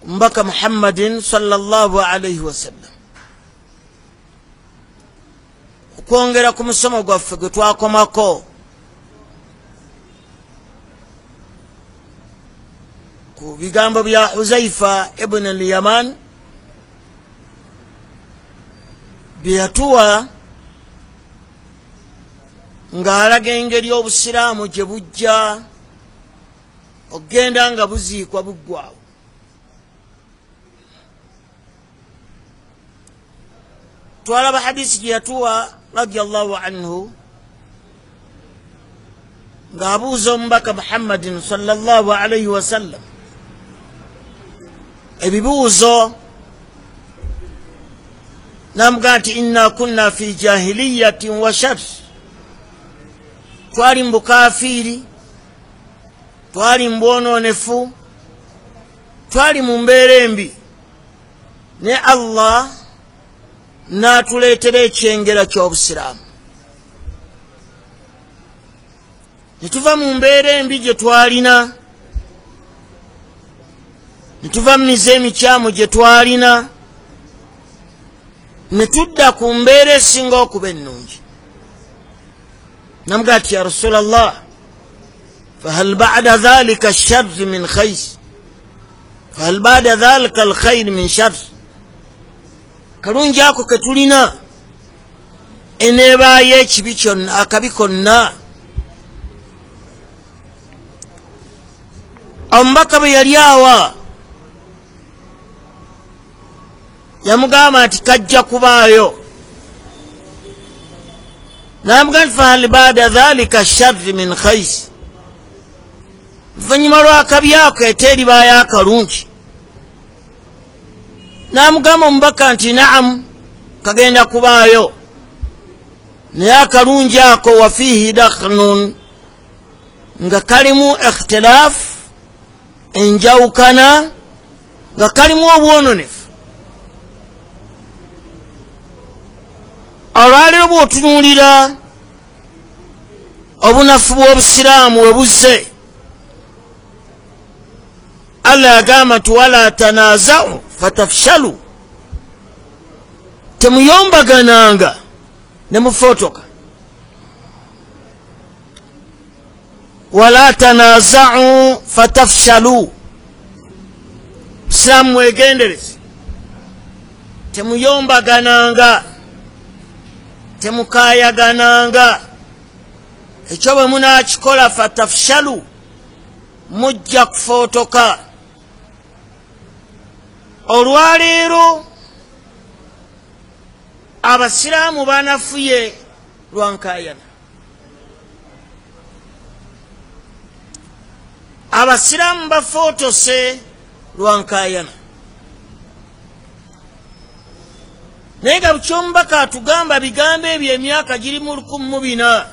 Omubaka Muhammadin sallallahu alaihi wasallam. Okwongera ku musomo gwaffe gwe twakomako ku bigambo bya Huzaifa ibn al-Yaman bye yatuwa ng'alaga engeri obusiraamu gye bujja okugenda nga buziikwa buggwawo. Twalaba hadisi gye yatuwa radiyallahu anhu ng'abuuza omubaka Muhammadin sallallahu alaihi wasallam ebibuuzo, n'amugamba nti inna kunna fi jahiliyatin wa shar, twali mu bukafiiri, twali mu bwonoonefu, twali mu mbeera embi, ne Allah n'atuleetera ekyengera ky'obusiraamu. Ne tuva mu mbeera embi gye twalina, ne tuva mu mize emikyamu gye twalina, ne tudda ku mbeera esinga okuba ennungi. Namugamba nti ya Rasulallah, fahal ba'da dhalika sharri min khayr, fahal ba'da dhalika alkhayr min shar, kalungi ako ke tulina eneebaayo ekibi kyonna, akabi konna. Omubaka bwe yali awa yamugamba nti kajja kubaayo. Namugamba nti fahal ba'da dhalika sharri min khayr, oluvannyuma lw'akabi ako ete eribaayo akalungi. Namugamba omubaka nti naamu, kagenda kubaayo, naye akalungi ako wafiihi dakhnun, nga kalimu ikhtilaafu, enjawukana, nga kalimu obwononefu. Olwaleero bw'otunuulira obunafu bw'obusiraamu we buzze, Allah yagamba nti wala tanaaza'u fatafshalu, temuyombagananga ne mufootoka. Wala tanaaza'u fatafshalu, busiraamu mwegendereze, temuyombagananga, temukayagananga, ekyo bwe munaakikola fatafshalu, mujja kufootoka. Olwaleero abasiraamu banafuye lwa nkaayana, abasiraamu bafootose lwa nkaayana. Naye nga bukyomubaka atugamba bigambo ebyo emyaka giri mu 1400.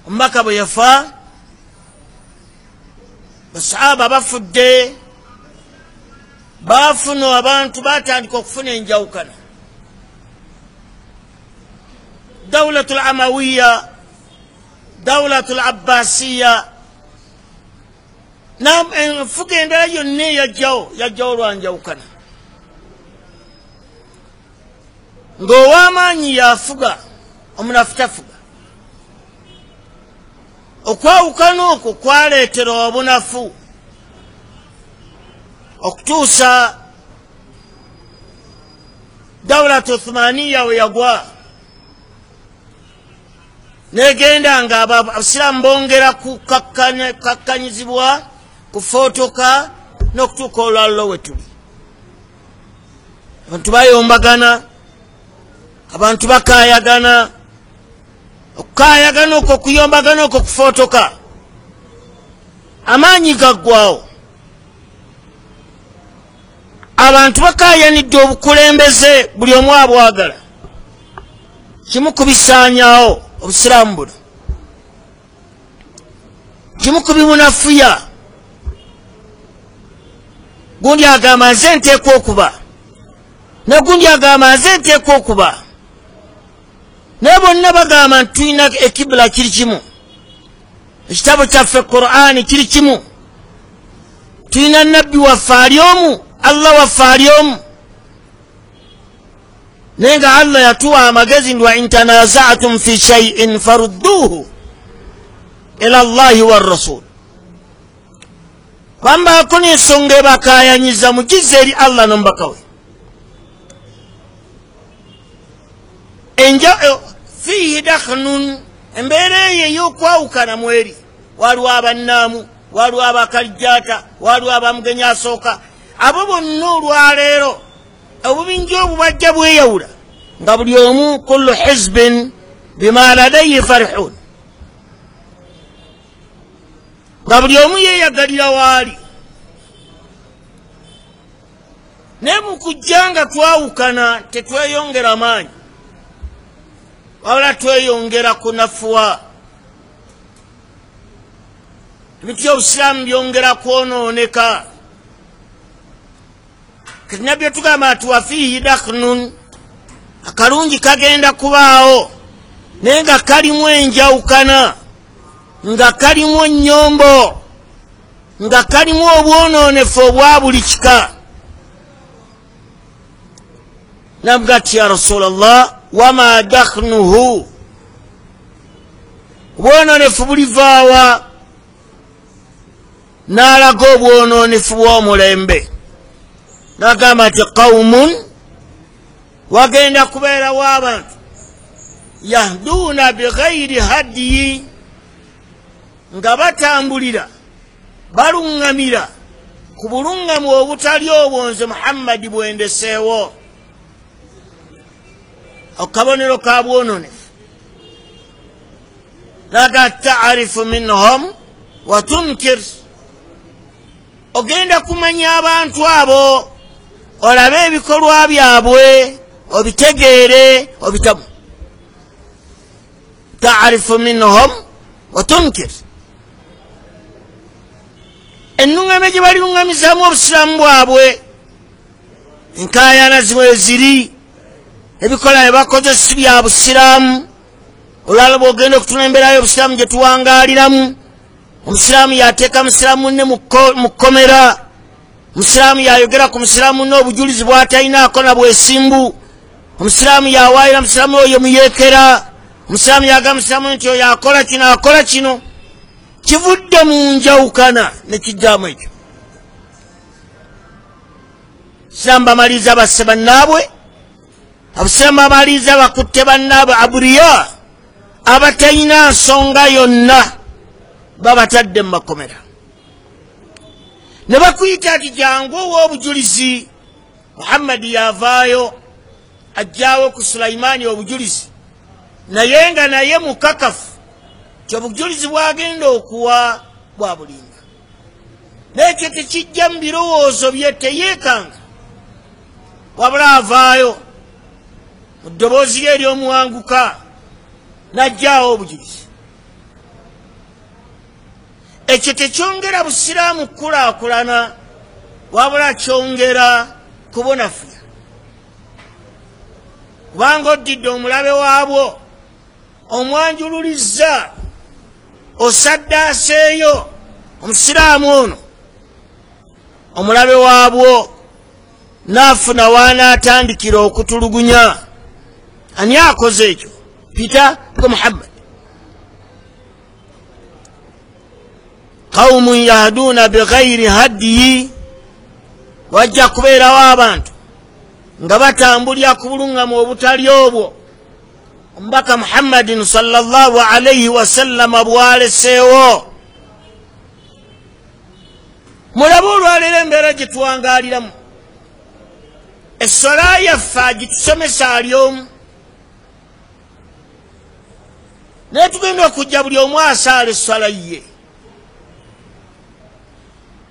Omubaka bwe yafa, basahaba bafudde, baafuna abantu batandika okufuna enjawukana. Dawlatul Amawiya, Dawlatul Abbasiya, enfuga endala yonna eyajjawo yajjawo lwa njawukana, ng'ow'amaanyi yafuga, omunafu tafuga. Okwawukana okwo kwaleetera obunafu okutuusa Dawlatu Uthmaniya we yagwa, negenda nga abasiraamu bongera kukakkanyizibwa, kufootoka n'okutuuka olwaliro we tuli. Abantu bayombagana, abantu bakaayagana, okukaayagana okwo, okuyombagana okwo, kufootoka, amaanyi gaggwawo. Abantu bakaayanidde obukulembeze, buli omu abwagala. Kimu kubisaanyaawo obusiraamu buno, kimu kubimunafuya. Gundi agamba nze nteekwa okuba, ne gundi agamba nze nteekwa okuba, naye bonna bagamba nti tulina ekibula kiri kimu, ekitabo kyaffe Qur'ani kiri kimu, Tulina nabbi waffe ali omu, Allah waffe ali omu, naye nga Allah yatuwa amagezi nti wa in tanazatum fi shay'in farudduhu ila Allahi warrasul, kwamba kuna ensonga ebakayanyiza mugize eri Allah n'omubaka we. Fiihi dakhnun, embeera eyo ey'okwawukana mweri, waliwo abannaamu, waliwo abakalijjaata, waliwo abamugenyi asooka, abo bonna olwaleero obubinja obwo bajja bweyawula nga buli omu kullu hizbin bima ladayhi farihun, nga buli omu yeeyagalira waali. Naye mu kujja nga twawukana tetweyongera maanyi, wabula tweyongera kunafuwa. Ebintu by'obusiraamu byongera kwonooneka. Kati nabbi yatugamba nti wafiihi dakhnun, akalungi kagenda kubaawo naye nga kalimu enjawukana, nga kalimu ennyombo, nga kalimu obwonoonefu obwa buli kika. Namuga ti ya Rasulallah, wama dakhnuhu, obwonoonefu bulivaawa? N'alaga obwonoonefu bw'omulembe, n'agamba nti qawmun, wagenda kubeerawo abantu yahduuna bighairi hadiyi, nga batambulira baluŋŋamira ku buluŋŋamu obutali obwo nze Muhammadi bwendeseewo. Akabonero ka bwononefu. Naga taarifu minhum wa tunkir, ogenda kumanya abantu abo, olabe ebikolwa byabwe obitegeere obitamu. Taarifu minhum wa tunkir, ennuŋŋame gye baliruŋŋamizaamu obusiraamu bwabwe, enkaayana zimwe ziri, ebikola bye bakoze si bya busiraamu. Olwala bw'ogenda okutuna embeera y'obusiraamu gye tuwangaaliramu, omusiraamu yateeka musiraamu munne mu kkomera, omusiraamu yayogera ku musiraamu munne obujulizi bw'atalinaako na bwesimbu, omusiraamu yawaayira musiraamu oyo muyeekera, omusiraamu yagamba musiraamu nti oyo akola kino akola kino. Kivudde mu njawukana ne kijjamu ekyo. Abasiraamu bamaliriza basse bannaabwe, abasiraamu bamaliriza bakutte bannaabwe aburiya abatalina nsonga yonna, babatadde mu makomera ne bakuyita ati jangu ow'obujulizi. Muhammadi yavaayo ajjaawo ku Sulaimaani obujulizi, naye nga naye mukakafu ti obujulizi bwagenda okuwa bwa bulimba, n'ekyo tekijja mu birowoozo bye, teyeekanga, wabula avaayo mu ddoboozi lye ery'omuwanguka n'ajjaawo obujulizi. Ekyo tekyongera busiraamu kukulaakulana, wabula kyongera kubonafuya, kubanga oddidde omulabe waabwo, omwanjululizza, osaddaaseeyo omusiraamu ono, omulabe waabwo n'afuna waanaatandikira okutulugunya. Ani akoze ekyo? Peter gwe Muhammad. Qawmun yahduuna bighairi hadiyi, wajja kubeerawo abantu nga batambulira ku buluŋŋamu obutali obwo omubaka Muhammadin sallallahu alaihi wasallama bwaleseewo. Mulabe olwaleero embeera gye tuwangaaliramu, essola yaffe agitusomesa ali omu, naye tugenda okujja buli omu asaala esswala ye,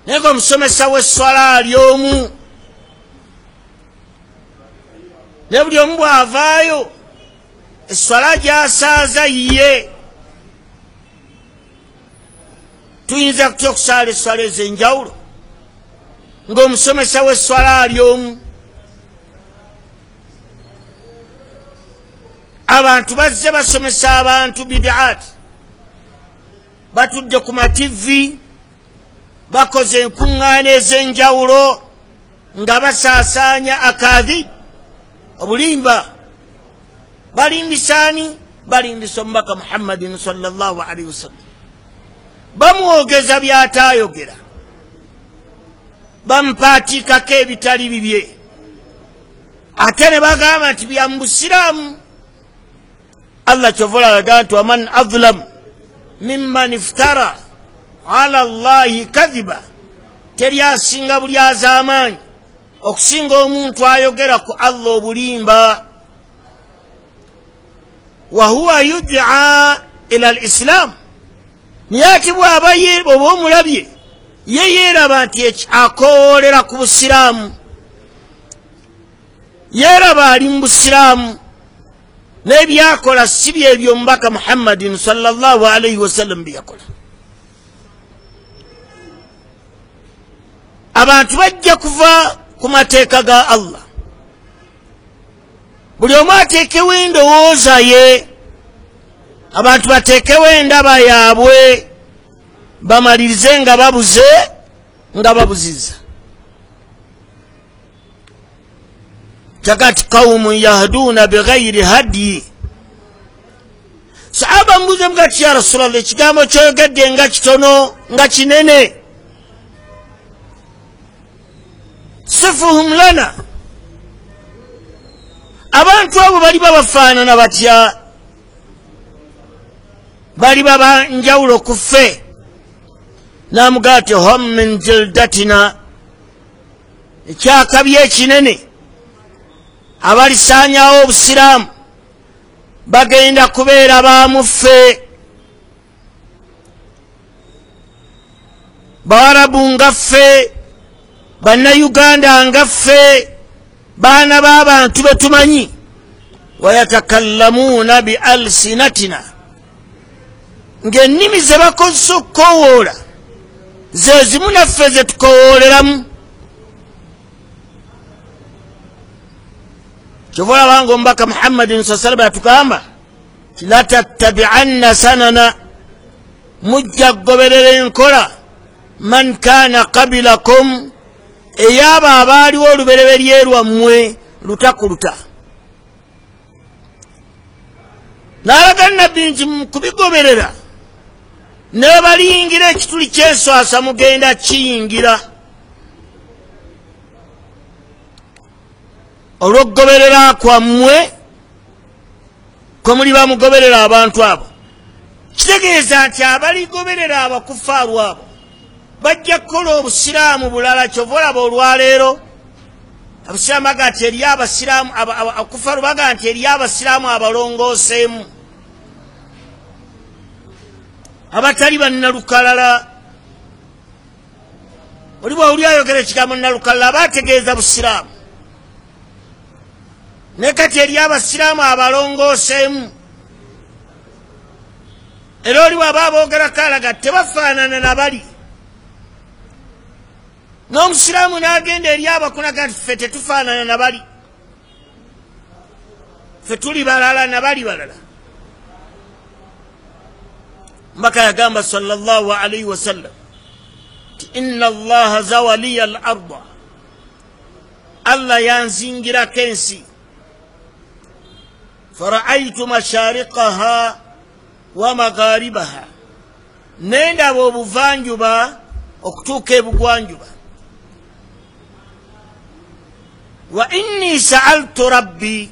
naye nga omusomesa w'esswala ali omu, naye buli omu bw'avaayo esswala gy'asaaza ye. Tuyinza kutya okusaala esswala ez'enjawulo ng'omusomesa w'esswala ali omu? Abantu bazze basomesa abantu bidaat, batudde ku mativi, Bakoze enkuŋŋaana ez'enjawulo nga basaasaanya akaadhi, obulimba. Balimbisaani? Balimbisa omubaka Muhammadin sallallahu alaihi wasallam. Bamwogeza by'ataayogera, bamupaatiikako ebitali bibye, ate ne bagamba nti bya mu busiraamu. Allah kyova olaga nti waman adlamu mimman iftara ala llahi kadhiba, teri asinga buli az'amaanyi okusinga omuntu ayogera ku Allah obulimba. Wahuwa yudaa ila al islam, naye ate bw'aba oba omulabye ye yeeraba nti akowoolera ku busiraamu, yeeraba ali mu busiraamu, n'ebyakola si byebyo omubaka Muhammadin sallallahu alaihi wasallam bye yakola. Abantu bajja kuva ku mateeka ga Allah, buli omu ateekewo endowooza ye, abantu bateekewo endaba yaabwe, bamalirize nga babuze nga babuziza. Takati qaumun yahduuna bighairi hadiyi. Sahaba mbuze mugati, ya Rasulallah, ekigambo kyoyogedde nga kitono nga kinene, sifuhum lana, abantu abo baliba bafaanana batya? Baliba banjawulo ku ffe? Namugaa ti hum min jildatina, ekyakabi ekinene abalisaanyawo obusiraamu bagenda kubeera bamuffe, bawarabu nga ffe, bannayuganda nga ffe, baana b'abantu betumanyi. Wayatakallamuuna bi alsinatina, ng'ennimi ze bakozesa okukowoola ze zimu naffe ze tukowooleramu. Kyova olabanga omubaka Muhammadin saa salama yatugamba ti latattabianna sanana, mujja kugoberera enkola man kaana qabilakum, ey'abo abaaliwo olubereberye lwammwe luta ku luta. N'alaga nabbi nti mukubigoberera ne baliyingira ekituli ky'enswasa mugenda kiyingira olw'okugoberera kwammwe kwe muli bamugoberera abantu abo. Kitegeeza nti abaligoberera abakufaaru abo bajja kukola obusiraamu bulala. Kyova olaba olwaleero abasiraamu baga nti eriyo abasiraamu, abakufaaru baga nti eriyo abasiraamu abalongooseemu abatali bannalukalala. Oli bw'awuli ayogera ekigambo nnalukalala aba ategeeza busiraamu, naye kati eriyo abasiraamu abalongooseemu. Era oli bw'aba aboogerako alaga tebafaanana na bali. N'omusiraamu n'agenda eri abakunaga nti ffe tetufaanana na bali, ffe tuli balala na bali balala. Mbaka yagamba sallallahu alaihi wasallam ti inna allaha zawaliya al arda, Allah yanzingirako ensi, faraaitu mashariqaha wa magharibaha, nendaba obuvanjuba okutuuka ebugwanjuba. Wa inni saaltu rabbi,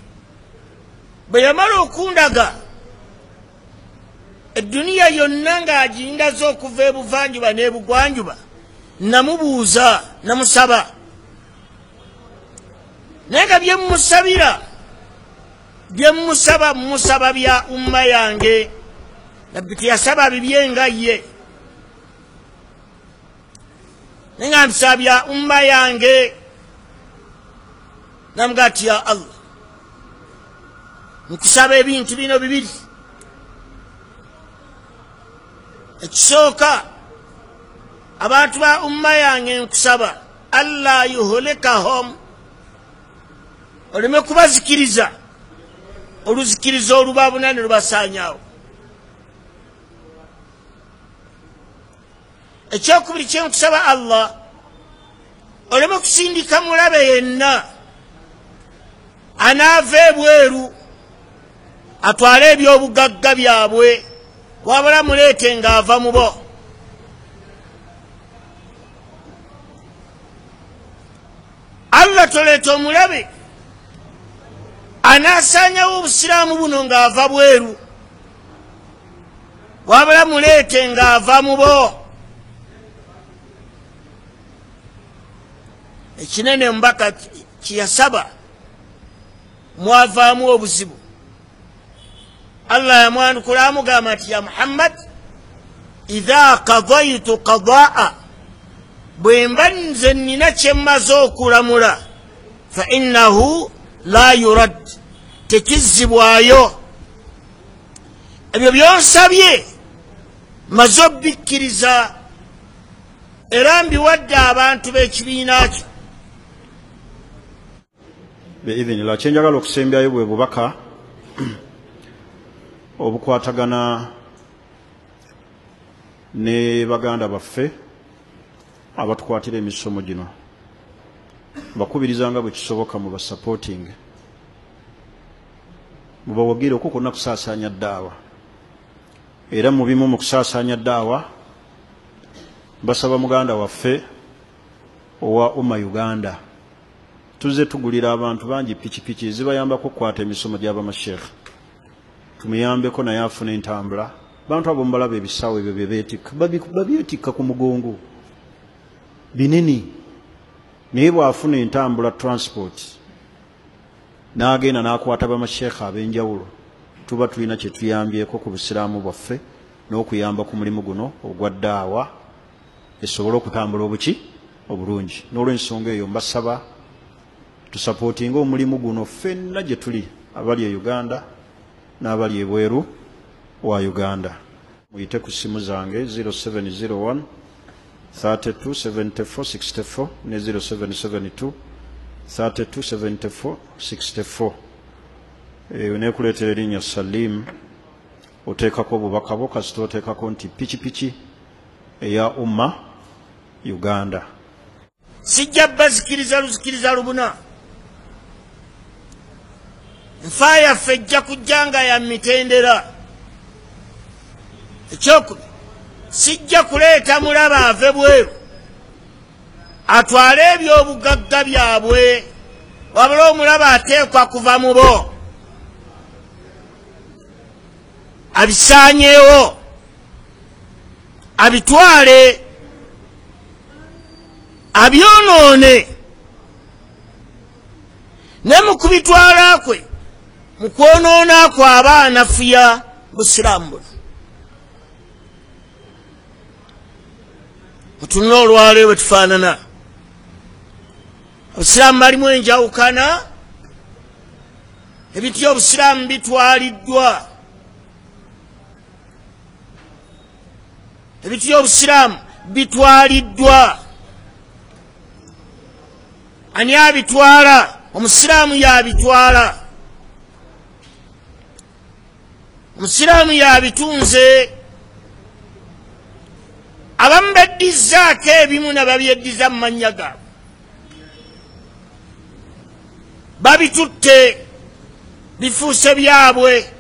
bwe yamala okundaga eduniya yonna ng'agindaze okuva ebuvanjuba n'ebugwanjuba, namubuuza namusaba, naye nga byemusabira byemusaba musaba bya umma yange. Nabbi teyasaba bibye nga ye, naye nga nsaba bya umma yange. Namugaa ti ya Allah, nkusaba ebintu bino bibiri. Ekisooka, abantu ba umma yange nkusaba alla yuhlikahum, oleme kubazikiriza oluzikiriza olubabuna ne lubasaanyaawo. Ekyokubiri kyenkusaba Allah, oleme kusindika mulabe yenna anaava ebweru atwale ebyobugagga byabwe, wabula muleete ng'ava mu bo. Allah toleeta omulabe anaasaanyawo obusiraamu buno ng'ava bweru, wabula muleete ng'ava mu bo. Ekinene omubaka kyeyasaba mwavaamu obuzibu. Allah yamwanukula amugamba nti ya Muhammad, idha qadaytu qadaa, bwe mba nze nnina kye mmaze okulamula, fa innahu la yurad, tekizzibwayo. Ebyo byonsabye maze obbikkiriza era mbiwadde abantu b'ekibiina kyo. Biidhinillah, kyenjagala okusembyayo bwe bubaka obukwatagana ne baganda baffe abatukwatira emisomo gino. Bakubirizanga bwe kisoboka mu basupporting, mubawagire okwo kwonna kusaasaanya ddaawa. Era mu bimu mu kusaasaanya ddaawa basaba muganda waffe owa Umma Uganda, tuzze tugulira abantu bangi pikipiki zibayambako okukwata emisomo gy'abamasheekh, tumuyambeko naye afune entambula. Bantu abo mubalaba ebisawo ebyo bye beetikka, babyetikka ku mugongo binene, naye bw'afuna entambula transport n'agenda n'akwata bamasheekh ab'enjawulo, tuba tulina kye tuyambyeko ku busiraamu bwaffe n'okuyamba ku mulimu guno ogwa ddaawa esobole okutambula obuki obulungi. N'olw'ensonga eyo mbasaba tusapootinge omulimu guno ffenna gye tuli, abali e Uganda n'abali ebweru wa Uganda. Muyite ku ssimu zange 0701 32 74 64 ne 0772 32 74 64. Nekuleetera erinnya Salim, oteekako obubaka bwo, kasita oteekako nti pikipiki eya Umma Uganda. Sijja bazikiriza luzikiriza lubuna. Nfa yaffe ejja kujja nga ya mitendera. Ekyokubiri, sijja kuleeta mulaba ave bweru atwale ebyobugagga byabwe, wabula omulaba ateekwa kuva mu bo abisaanyeewo, abitwale, abyonoone. Ne mu kubitwala kwe, mu kwonoona kwe aba anafuya busiraamu buno. Mutunule olwaleero bwe tufaanana. Obusiraamu balimu enjawukana, ebintu by'obusiraamu bitwaliddwa, ebintu by'obusiraamu bitwaliddwa. Ani abitwala? Omusiraamu yabitwala, omusiraamu yabitunze. Abamu beddizzaako ebimu ne babyeddiza mu mannya gaabwe, babitutte, bifuuse byabwe.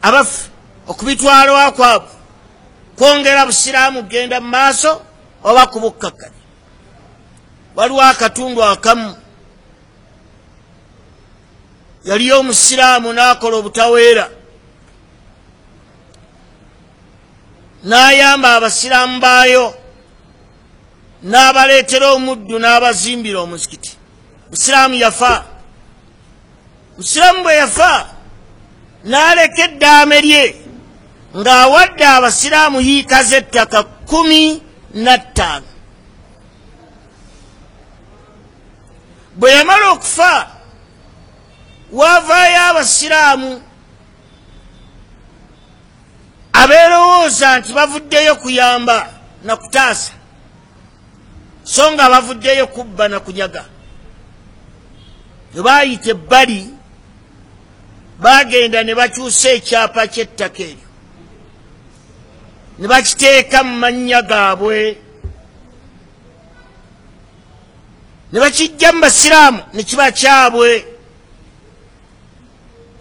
Abaffe okubitwalwa kwabwe kwongera busiraamu kugenda mu maaso oba kubukkakkanya? Waliwo akatundu akamu yaliyo omusiraamu n'akola obutaweera, n'ayamba abasiraamu baayo, n'abaleetera omuddu n'abazimbira omuzikiti. Musiraamu yafa. Musiraamu bwe yafa n'aleka eddaame lye ng'awadde abasiraamu yiika z'ettaka 15. Bwe yamala okufa wavaayo abasiraamu abeerowooza nti bavuddeyo kuyamba na kutaasa, so nga bavuddeyo kubba na kunyaga. Ne baayita ebbali Bagenda ne bakyusa ekyapa ky'ettaka eryo ne bakiteeka mu mannya gaabwe, ne bakijja mu basiraamu ne kiba kyabwe.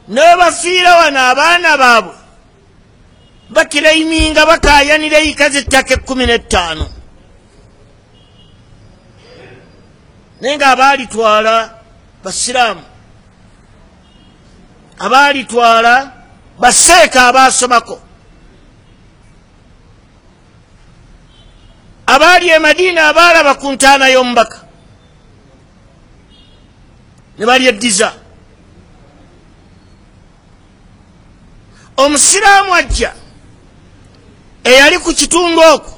Ne bafiira wano abaana baabwe bakiraiminga bakaayanira eyika z'ettaka 15, naye nga abaalitwala basiraamu, abaalitwala baseeka abaasomako, abaali e Madiina abaalaba ku ntaana y'omubaka ne balyeddiza. Omusiraamu ajja eyali ku kitundu okwo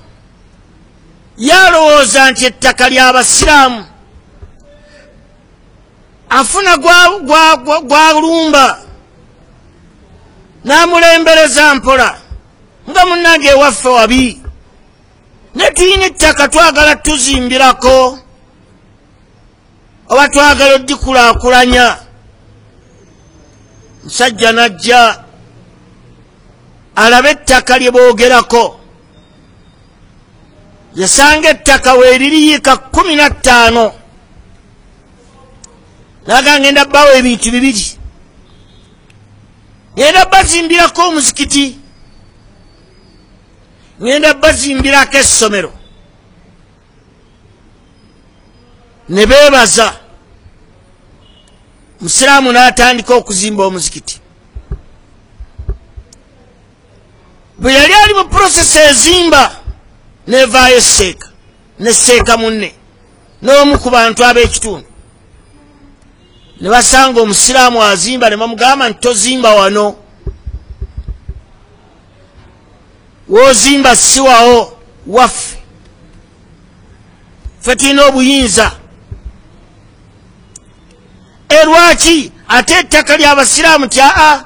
yalowooza nti ettaka ly'abasiraamu, afuna gwalumba n'amulembereza mpola nga munnange ewaffe wabi, ne tuyina ettaka twagala tuzimbirako oba twagala oddikulaakulanya. Musajja n'ajja alabe ettaka lye boogerako, yasanga ettaka weeririyiika 15, naga ngenda bbawo ebintu bibiri, ngenda bazimbirako omuzikiti, ngenda bazimbirako essomero. Ne beebaza. Musiraamu n'atandika okuzimba omuzikiti. Bwe yali ali mu process ezimba, nevaayo esseeka nesseeka munne n'omu ku bantu ab'ekitundu, ne basanga omusiraamu azimba ne bamugamba nti tozimba wano, w'ozimba si wawo, waffe, ffe tulina obuyinza. Erwaki ate ettaka ly'abasiraamu? Ti aa,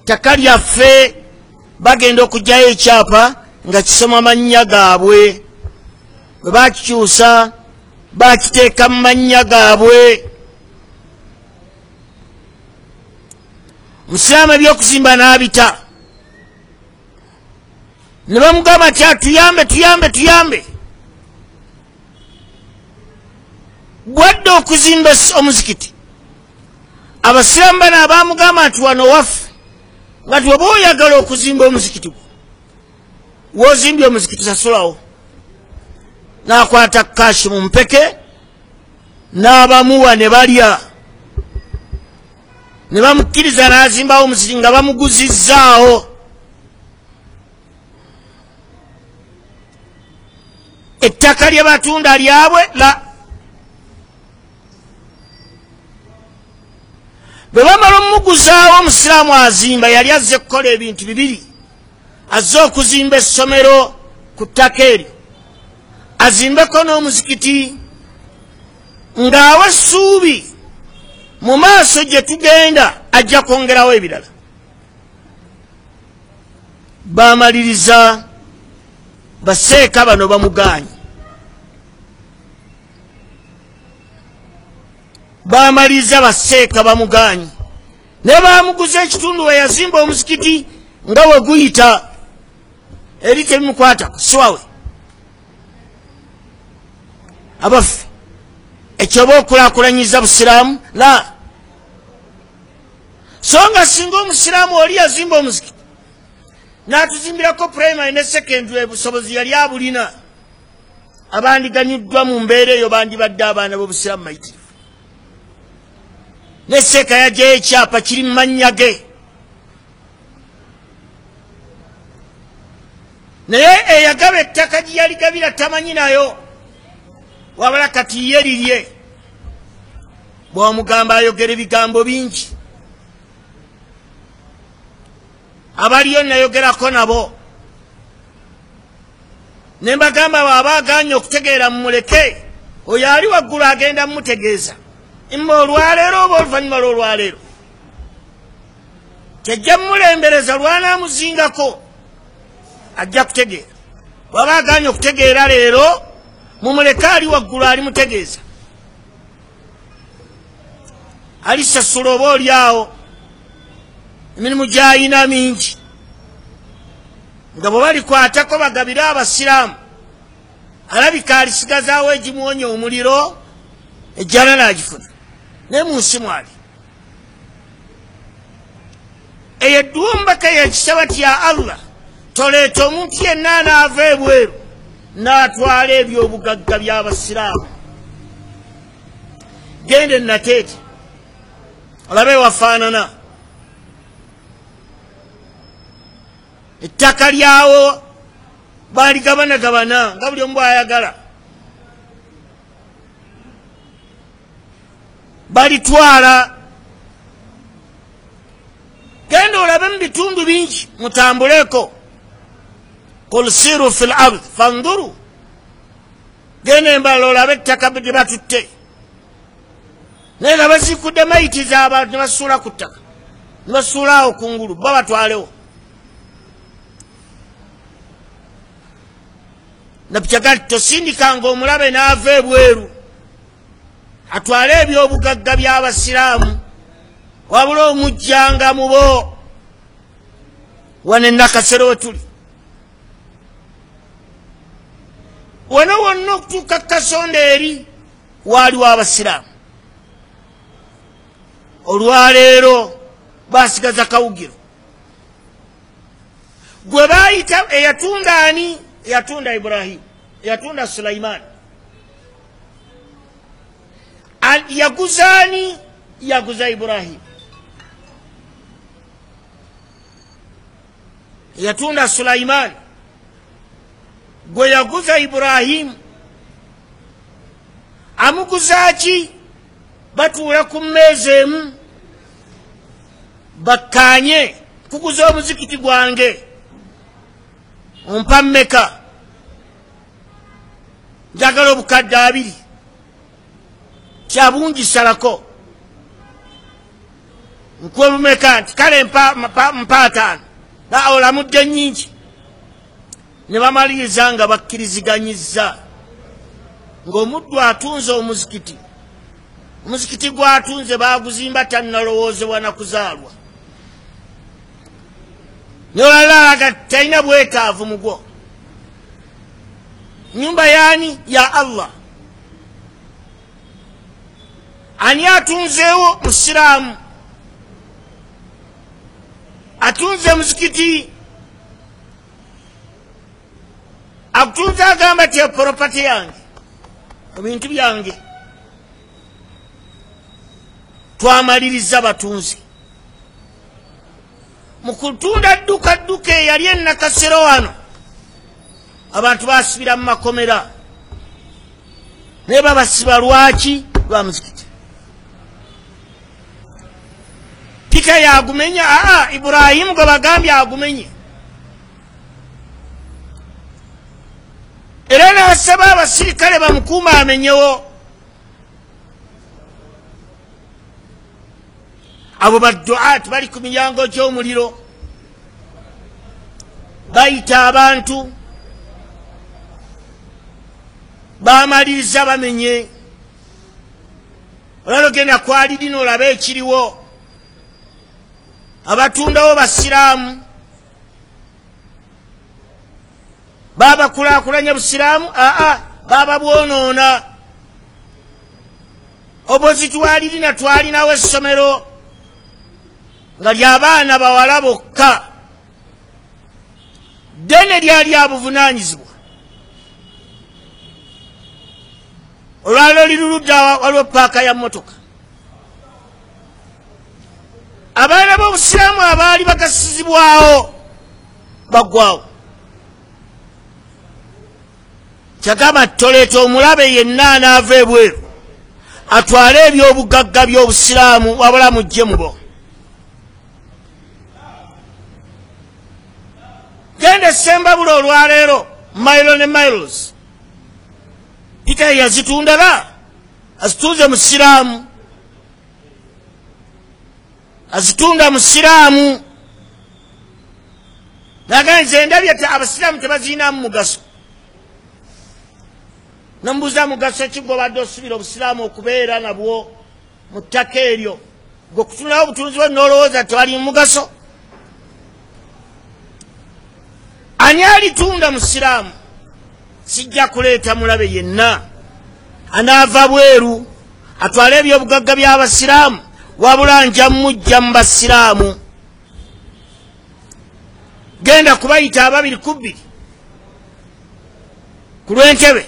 ttaka lyaffe. Bagenda okugyayo ekyapa nga kisoma mannya gaabwe, bwe bakikyusa bakiteeka mu mannya gaabwe. Omusiraamu ebyokuzimba n'abita, ne bamugamba nti atuyambe tuyambe tuyambe. Bwadde okuzimba omuzikiti, abasiraamu bano abamugamba nti wano waffe, nga ti oba oyagala okuzimba omuzikiti gwo, w'ozimbye omuzikiti sasulawo. N'akwata kashi mu mpeke n'abamuwa ne balya, ne bamukkiriza n'azimbawo omuzikiti nga bamuguzizzaawo. Ettaka lye batunda lyabwe la. Bwe bamala omuguzaawo, omusiraamu azimba yali azze kukola ebintu bibiri, azze okuzimba essomero ku ttaka eryo, azimbeko n'omuzikiti, ng'awa essuubi mu maaso gye tugenda ajja kwongerawo ebirala. Bamaliriza baseeka bano bamugaanyi, bamaliriza baseeka bamugaanyi, ne bamuguza ekitundu we yazimba omuzikiti nga we guyita eri tebimukwatako, siwawe. Abaffe, ekyoba okulaakulanyiza busiraamu la. So nga singa omusiraamu oli yazimba omuzikiti n'atuzimbirako primary ne secondary, obusobozi yali abulina, abandiganyuddwa mu mbeera eyo bandibadde abaana b'obusiraamu mayitirivu. Ne seeka yagyayo ekyapa kiri mu mannya ge, naye eyagaba ettaka gye yaligabira tamanyi nayo, wabula kati ye lirye. Bw'omugamba ayogera ebigambo bingi, abaliyo nayogerako nabo ne mbagamba bw'aba agaanye okutegeera mumuleke, oyo ali waggulu agenda mumutegeeza imma olwaleero oba oluvannyuma lw'olwaleero, kyajja mumulembereza lwanaamuzingako ajja kutegeera. Bw'aba agaanye okutegeera leero mumuleke, ali waggulu alimutegeeza, alisasula oba oli awo. Emirimu gy'ayina mingi nga bwe balikwatako bagabire abasiraamu, alabika alisigazaawo egimuwonya omuliro, ejjana n'agifuna. Naye mu nsi mwali eyo edduwa omubaka yekisaba ti ya Allah, toleeta omuntu yenna anaava ebweru n'atwala ebyobugagga by'abasiraamu. Genda enateete olabe wafaanana, ettaka lyawo baligabanagabana nga buli omu bw'ayagala, balitwala. Genda olabe mu bitundu bingi, mutambuleko. Qul siru fil ard fanduru, genda embala olabe ettaka gye batutte, naye nga bazikudde mayiti z'abantu ne basuula ku ttaka, ne basuula awo kungulu, bo batwalewo. Nabyagali tosindikanga omulabe n'ava ebweru atwale ebyobugagga by'abasiraamu, wabula omujjanga mu bo. Wano enakasero we tuli wano wonna okutuuka kasonda eri waaliwo abasiraamu. Olwaleero basigaza kawugiro gwe baayita eyatunda ani? Eyatunda Ibrahimu, eyatunda Sulaimaani. Yaguza ani? Yaguza Ibrahimu. Eyatunda Sulaimaani gwe yaguza Ibrahimu. Amuguza ki? Batuula ku mmeeza emu bakkaanye, kuguza omuzikiti gwange ompa mmeka? Njagala obukadde 2. Kyabungi salako nkuwe bumeka? Nti kale mpa 5. Olamudde nnyingi. Ne bamaliriza nga bakkiriziganyizza ng'omuddu atunze omuzikiti, omuzikiti gw'atunze baaguzimba tannalowoozebwa na kuzaalwa. Naye olala alaga talina bwetaavu mugwo. Nyumba yaani? Ya Allah. Ani atunzeewo? Musiraamu atunze muzikiti, akutunze agamba ti property yange, ebintu byange. Twamaliriza batunze mu kutunda dduka dduka eyali enakasero wano, abantu basibira mu makomera, naye babasiba lwaki? Lwa muzikiti. Peter yagumenya? Aa, Ibrahimu gwe bagambye agumenye. Era n'asaba abasirikale bamukuuma amenyewo. Abo badduaati bali ku miryango gy'omuliro, bayita abantu, bamaliriza bamenye. Olalo genda kwalirina olabe ekiriwo, abatundawo basiraamu, babakulaakulanya busiraamu? Aa, baba bwonoona. Obozi twalirina twalinawo essomero nga ly'abaana bawala bokka, ddene lyali abuvunaanyizibwa. Olwaliro liruludda waliwo paaka ya mmotoka. Abaana b'obusiraamu abaali bagasizibwawo baggwawo. Kyagamba toleeta omulabe yenna anaava ebweru atwale ebyobugagga by'obusiraamu, wabula mujje mubo. Genda Sembabule olwaleero, mailo ne miles, Peter yazitundala, azitunze musiraamu, azitunda musiraamu. Naga nze ndabye abasiraamu tebazirinamu mugaso. Nambuuza mugaso ki gw'obadde osuubira obusiraamu okubeera nabwo mu ttaka eryo, gwe okutunulawo obutunzi bwe n'olowooza tewali mugaso? Ani alitunda musiraamu? Sijja kuleeta mulabe yenna anaava bweru atwale ebyobugagga by'abasiraamu, wabula nja mujja mu basiraamu. Genda kubayita ababiri ku bbiri ku lw'entebe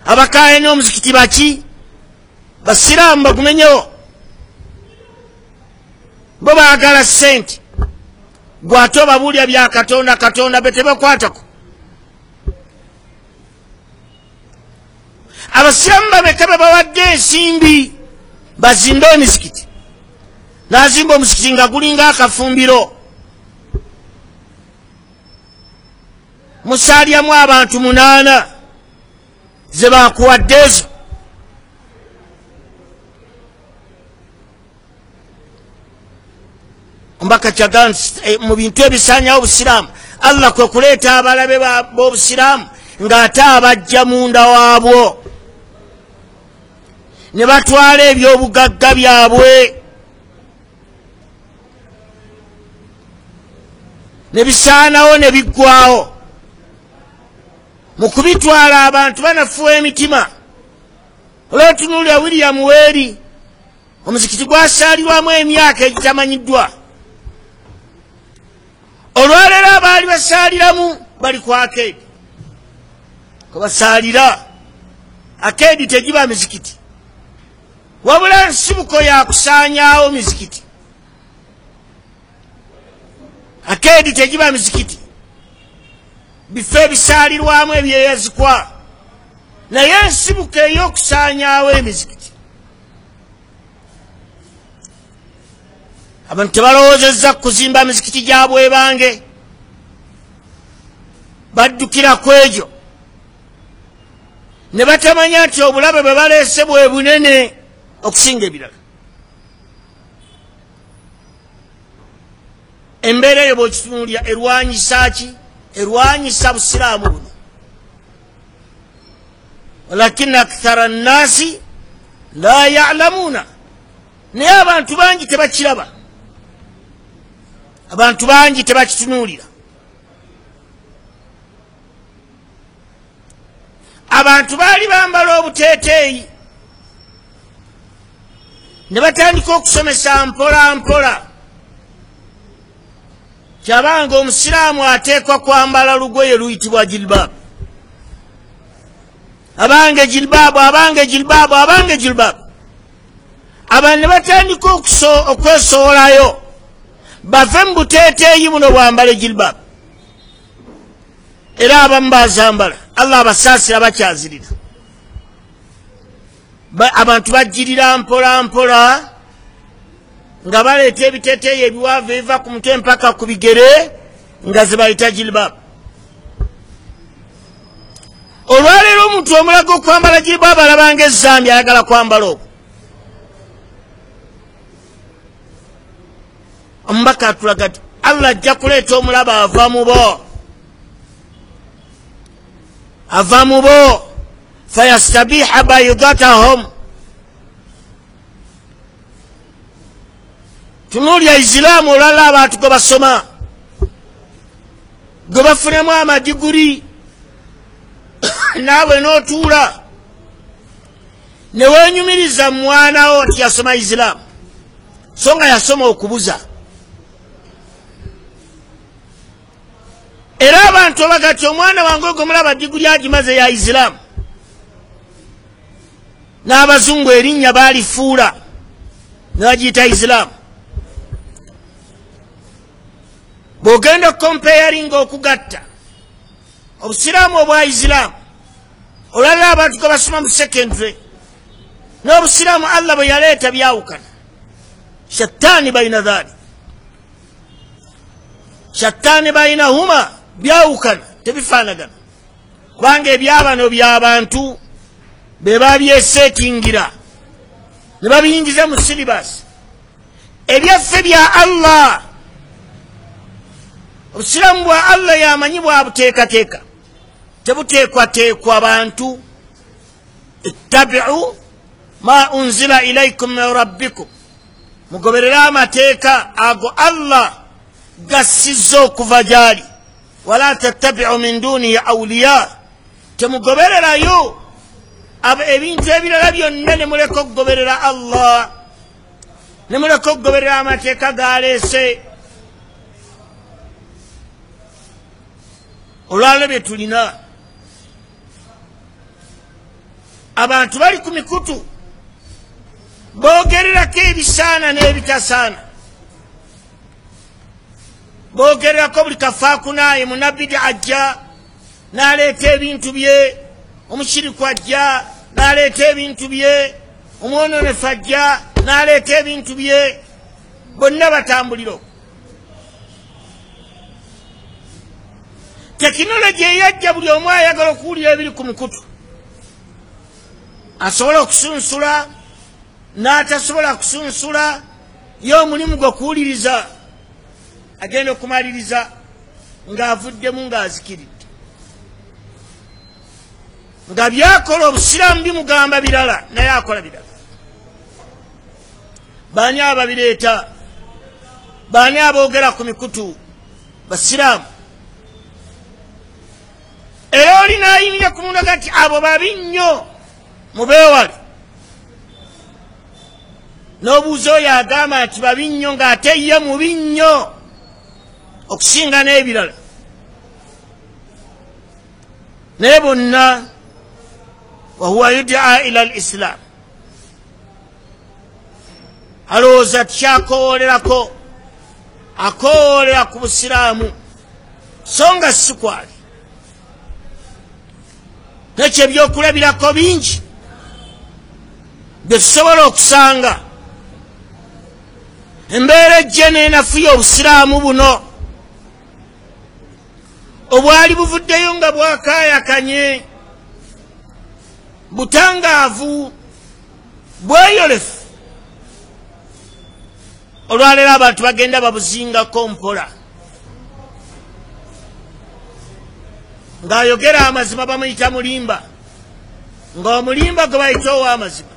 abakaaye n'omuzikiti baki basiraamu bagumenyewo. Bo baagala ssente, gwate obabuulya bya Katonda, Katonda be tebakwatako. Abasiraamu bameka be bawadde ensimbi bazimbe emizikiti? N'azimba omuzikiti nga gulinga akafumbiro, musaalyamu abantu 8 ze bakuwadde ezo. Omubaka kyagamba mu bintu ebisaanyawo obusiraamu, Allah kwe kuleeta abalabe b'obusiraamu ng'ate abajja munda waabwo ne batwala ebyobugagga byabwe ne bisaanawo ne biggwawo. Mu kubitwala abantu banafuwa emitima. Olw'otunuulira William Weeri, omuzikiti gwasaalirwamu emyaka egitamanyiddwa. Olwaleero abaali basaaliramu bali ku akeedi, kwe basaalira. Akeedi tegiba mizikiti, wabula nsibuko ya kusaanyaawo mizikiti. Akeedi tegiba mizikiti, bifo ebisaalirwamu ebyeyazikwa, naye ensibuko ey'okusaanyaawo emizikiti. Abantu tebalowoozezza kuzimba mizikiti gya bwebange, baddukira ku egyo ne batamanya nti obulabe bwe baleese bwe bunene okusinga ebirala. Embeera eyo bw'okitunuulira erwanyisa ki? Erwanyisa busiraamu buno. Walakina akthara nnaasi la ya'lamuuna, naye abantu bangi tebakiraba, abantu bangi tebakitunuulira. Abantu baali bambala obuteeteeyi ne batandika okusomesa mpola mpola. Kyabanga omusiraamu ateekwa kwambala lugoye luyitibwa jilbaabu. Abange jilbaabu, abange jilbaabu, abange jilbaabu. Abantu ne batandika okwesowolayo bave mu buteeteeyi buno bwambale jilbaabu. Era abamu bazambala, Allah abasaasira bakyazirira. Abantu bajjirira mpola mpola nga baleeta ebiteeteeyi ebiwanvu ebiva ku mutwe mpaka ku bigere nga ze bayita jilbaabu. Olwaleero omuntu omulaga okwambala jilbaabu alabanga ezzambi, ayagala kwambala okwo. Omubaka atulaga nti Allah ajja kuleeta omulaba ava mu bo, ava mu bo, fayastabiha baydatahum. Tunuulya Isiraamu olwala abantu gwe basoma, gwe bafunemu amadiguri, naawe n'otuula ne weenyumiriza mwana wo nti yasoma Isiraamu, so nga yasoma okubuza. Era abantu bagati omwana wange ogwo mulaba diguri agimaze ya Isiraamu, n'abazungu erinnya baalifuula ne bagiyita Isiraamu. Bw'ogenda okukompayaringa okugatta obusiraamu obwa Isiraamu olwalira abantu gwe basoma mu secondary n'obusiraamu Allah bwe yaleeta byawukana. Shattaani baina dhalik, shattaani bainahuma, byawukana, tebifaanagana, kubanga ebyabano by'abantu be babyeseetingira ne babiyingiza mu silibasi. Ebyaffe bya Allah, obusiraamu bwa Allah yamanyi bwabuteekateeka, tebuteekwateekwa bantu. Ittabiu ma unzila ilaikum min rabbikum, mugoberere amateeka ago Allah gassizza okuva gy'ali. Wala tattabiu min dunihi awliya, temugobererayo ebintu ebirala byonna, ne muleka okugoberera Allah, ne muleka okugoberera amateeka galeese. Olwaliro bye tulina, abantu bali ku mikutu boogererako ebisaana n'ebitasaana, boogererako buli kafaakunaaye. Munabidi ajja n'aleeta ebintu bye, omushiriku ajja n'aleeta ebintu bye, omwononefu ajja n'aleeta ebintu bye, bonna batambulira okwo. Tekinologi eyajja, buli omu ayagala okuwulira ebiri ku mukutu, asobola okusunsula n'atasobola kusunsula, ye omulimu gwe kuwuliriza, agenda okumaliriza ng'avuddemu ng'azikiridde, nga byakola obusiraamu bimugamba birala naye akola birala. Baani ababireeta? Baani aboogera ku mikutu? Basiraamu. Era oli n'ayimirira ku mundaga nti abo babi nnyo, mubeewale. N'obuuza oyo agamba nti babi nnyo ng'ate ye mubi nnyo okusinga n'ebirala. Naye bonna wahuwa yudaa ila al islam, alowooza tikyakowolerako, akowoolera ku busiraamu, so nga si kwali. Nekyo ebyokulabirako bingi bye tusobola okusanga. Embeera ejje n'enafuya obusiraamu buno obwali buvuddeyo nga bwakaayakanye, butangaavu, bweyolefu. Olwaleero abantu bagenda babuzingako mpola, ng'ayogera amazima bamuyita mulimba, ng'omulimba gwe bayita ow'amazima.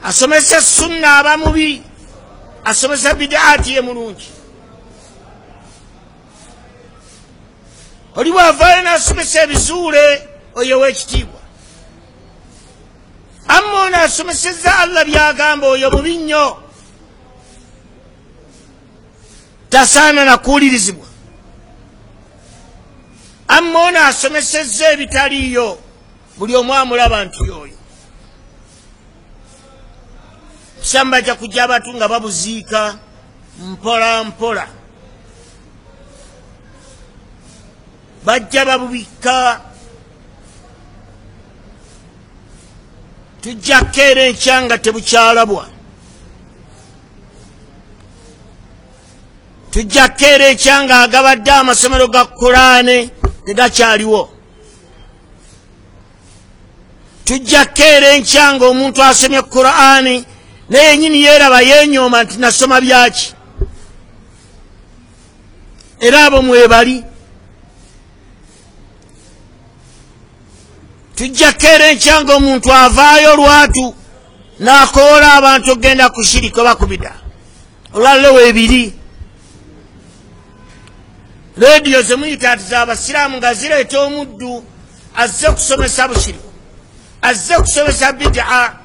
Asomesa sunna aba mubi, asomesa bidaati ye mulungi. Oli bw'avaayo n'asomesa ebizuule, oyo w'ekitiibwa. Amma ono asomesezza Allah by'agamba, oyo mubi nnyo, tasaana na kuwulirizibwa. Amma ono asomesezza ebitaliiyo, buli omu amulaba nti yoyo. Busiraamu bajja kujja abantu nga babuziika mpola mpola, bajja babubikka. Tujja kukeera enkya nga tebukyalabwa, tujja kukeera enkya nga agabadde amasomero ga Kuraane tegakyaliwo, tujja kukeera enkya nga omuntu asomye Kuraane naye yennyini yeeraba yeenyooma nti nasoma byaki. Era abo mwebali. Tujja kukeera enkya nga omuntu avaayo lwatu n'akoola abantu okugenda ku shirika oba ku bida. Olwaliro weebiri rediyo ze muyita nti z'abasiraamu nga zireeta omuddu azze kusomesa bushiriku, azze kusomesa bidaa.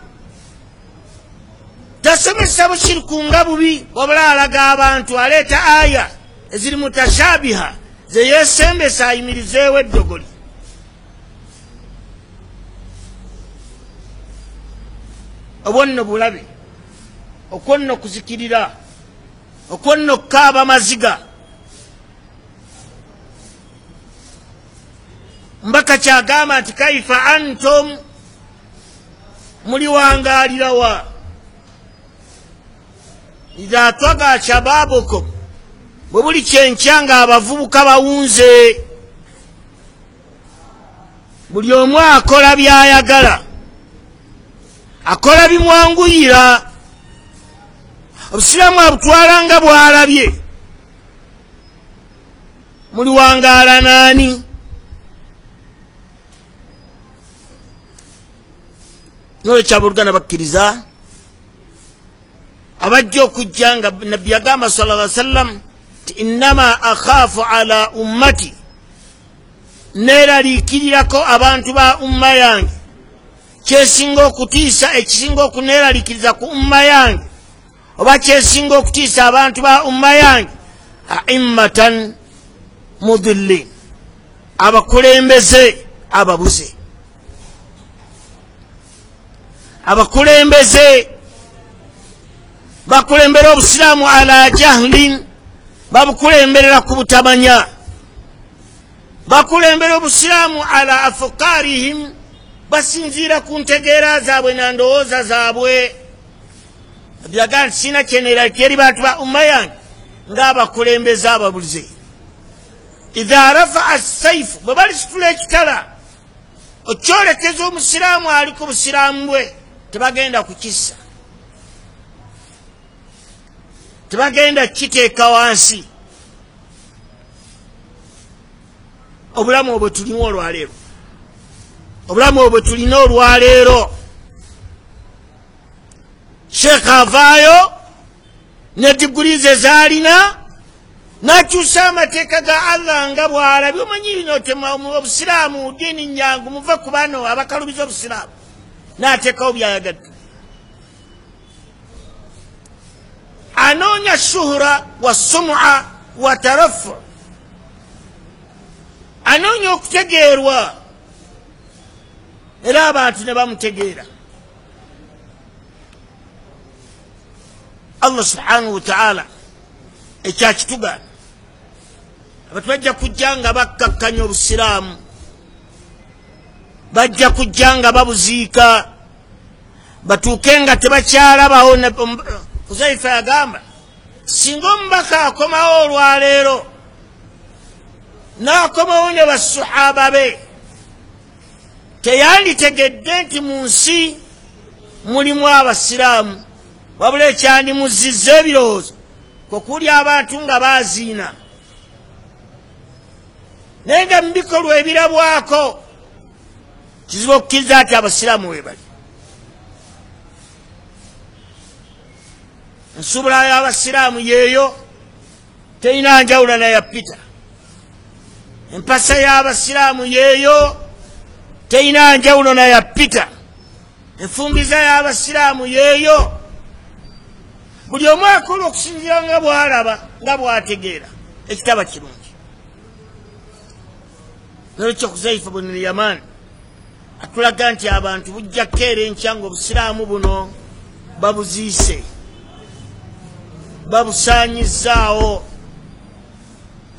Tasomesa bushiriku nga bubi, wabula alaga abantu, aleeta aya eziri mutashabiha ze yeesembesa ayimirizeewo eddogoli. Obwo nno bulabe, okwo nno kuzikirira, okwo nno kukaaba maziga. Mbaka kyagamba nti kaifa antum, muliwangaalirawa idha twaga shababukum, bwe buli kyenkya nga abavubuka bawunze, buli omu akola by'ayagala, akola bimwanguyira. Obusiraamu abutwala nga bw'alabye. Muliwangaala naani? Nolwekyo abooluganda bakkiriza, abajja okujja nga Nabbi yagamba sallallahu alaihi wasallam Ti innama akhaafu ala ummati, neeraliikirirako abantu ba umma yange. Kyesinga okutiisa, ekisinga okuneeraliikiriza ku umma yange, oba kyesinga okutiisa abantu ba umma yange, aimmatan mudillin, abakulembeze ababuze, abakulembeze bakulembera obusiraamu ala jahlin, babukulemberera ku butamanya, bakulembera obusiraamu ala afukarihim, basinziira ku ntegeera zaabwe na ndowooza zaabwe. Byaga nti sina kyeneeraliikirira eri bantu ba umma yange ng'abakulembeze ababuze. Idha rafaa saifu, bwe balisitula ekitala okyolekeza omusiraamu ali ku busiraamu bwe, tebagenda kukissa, tebagenda kukiteeka wansi. Obulamu obwe tulina olwaleero, obulamu obwe tulina olwaleero, Sheekh avaayo ne diguli ze zaalina n'akyusa amateeka ga Allah nga bw'alabye. Omanyi bino obusiraamu ddiini nyangu, muve ku bano abakalubiza obusiraamu, n'ateekawo by'ayagadde. Anoonya shuhura wa sum'a wa tarafu, anoonya okutegeerwa, era abantu ne bamutegeera. Allah subhanahu wa ta'ala ekyakitugaana, abantu bajja kujja nga bakkakkanya obusiraamu, bajja kujja nga babuziika, batuuke nga tebakyalabawo. Huzaifa yagamba singa omubaka akomawo olwaleero n'akomawo ne basuhaba be, teyanditegedde nti mu nsi mulimu abasiraamu, wabula ekyandimuzizza ebirowoozo kwe kuli abantu nga baaziina, naye nga mu bikolwa ebirabwako kizibu okukkiriza nti abasiraamu we bali. Ensubula y'abasiraamu yeeyo, terina njawulo na ya Peter. Empasa y'abasiraamu yeeyo, terina njawulo na ya Peter. Enfumbiza y'abasiraamu yeeyo. Buli omu akola okusinziira nga bw'alaba, nga bw'ategeera, ekitaba kirungi. Nolwekyo Huzaifa bun Yaman atulaga nti abantu bujja kukeera enkya nga obusiraamu buno babuziise, babusaanyizaawo,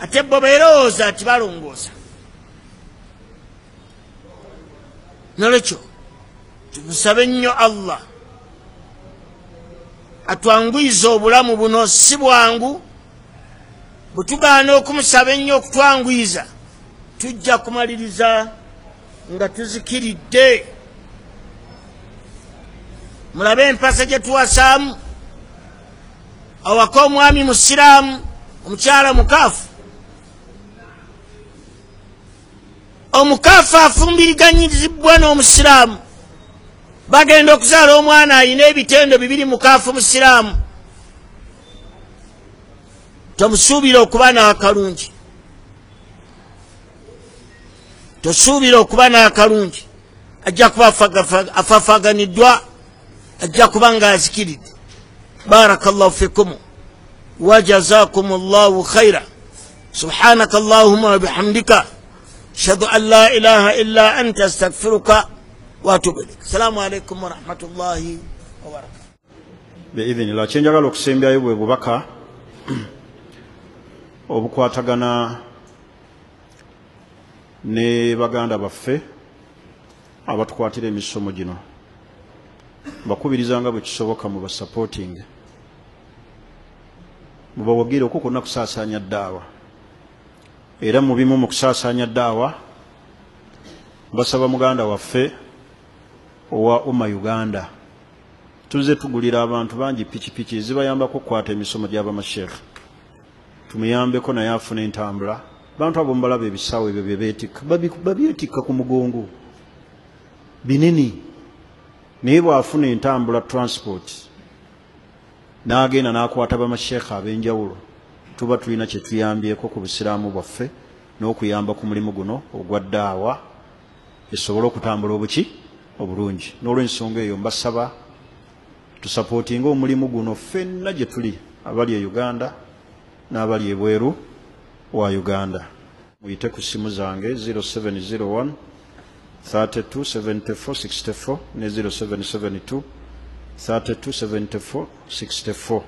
ate bo beerowooza nti balongoosa. Nolwekyo tumusabe nnyo Allah atwanguyize obulamu buno, si bwangu. Bwe tugaana okumusaba ennyo okutwanguyiza, tujja kumaliriza nga tuzikiridde. Mulabe empasa gye tuwasaamu, awaka omwami musiraamu, omukyala mukaafu. Omukaafu afumbiriganyizibwa n'omusiraamu, bagenda okuzaala omwana alina ebitendo bibiri, mukaafu musiraamu. Tomusuubira okuba n'akalungi, tosuubira okuba n'akalungi, ajja kuba afaafaganiddwa, ajja kuba ng'azikiridde. Barakallahu fikum wa jazakum Allahu khaira. Subhanaka Allahumma wa bihamdika, ashhadu an la ilaha illa anta, astaghfiruka wa atubu ilaik. Assalamu alaikum wa rahmatullahi wa barakatuh. Biidhnillah, kyenjagala okusembyayo bwe bubaka obukwatagana ne baganda baffe abatukwatira emisomo gino. Mbakubiriza nga bwe kisoboka mu basupporting, mubawagire okwo kwonna kusaasaanya ddaawa. Era mu bimu mu kusaasaanya ddaawa, mbasaba muganda waffe owa Umma Uganda, tuzze tugulira abantu bangi pikipiki zibayambako okukwata emisomo gy'abamasheekhe, tumuyambeko naye afune entambula. Bantu abo mubalaba ebisawo ebyo bye beetikka, babyetikka ku mugongo binene, naye bw'afuna entambula transport n'agenda n'akwata bamasheekhe ab'enjawulo, Tuba tulina kye tuyambyeko ku busiraamu bwaffe n'okuyamba ku mulimu guno ogwa ddaawa esobole okutambula obuki obulungi. N'olwensonga eyo mbasaba tusapootinge omulimu guno ffenna gye tuli, abali e Uganda n'abali ebweru wa Uganda. Muyite ku ssimu zange 0701 32 74 64 ne 0772 32 74 64.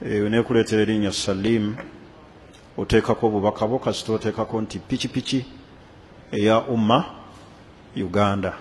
Eyo nekuleetera erinnya Salim, oteekako obubaka bwo, kasita oteekako nti pikipiki eya Umma Uganda.